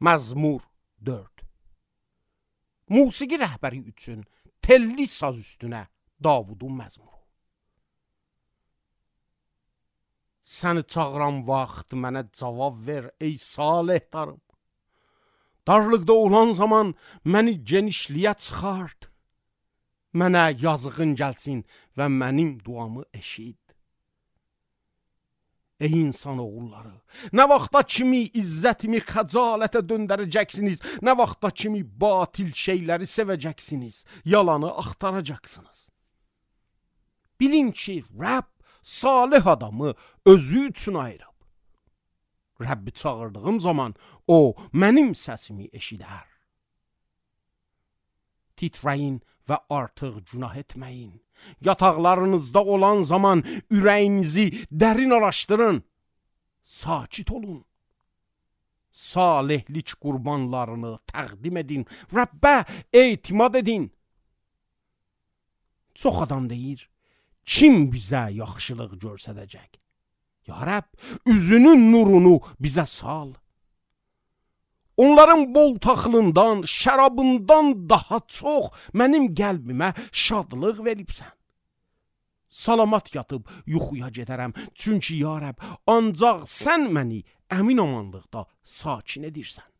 Məzmur 4. Musiqi rəhbəri üçün telli saz üstünə Davudun məzmuru. Səni çağıran vaxt mənə cavab ver ey salihdarım. Darlıqda olan zaman məni genişliyə çıxart. Mənə yazığın gəlsin və mənim duamı eşit. Ey insan oğulları, nə vaxta kimi izzətimi xəcalətə döndərəcəksiniz, nə vaxta kimi batil şeyləri sevəcəksiniz, yalanı axtaracaqsınız. Bilin ki, Rəbb salih adamı özü üçün ayırıb. Rəbbi çağırdığım zaman o mənim səsimi eşidər. Titrəyin və artıq günah etməyin. Yataqlarınızda olan zaman ürəyinizi dərin araşdırın. Sakit olun. Salihlik qurbanlarını təqdim edin. Rəbbə etimad edin. Çox adam deyir, kim bizə yaxşılıq görsədəcək? Ya Rəbb, üzünün nurunu bizə sal. Onların bol taxılından, şərabından daha çox mənim qəlbimə şadlıq veribsən. Salamat yatıb yuxuya gedərəm, çünki ya Rəbb, ancaq sən məni əmin amanlıqda sakin edirsən.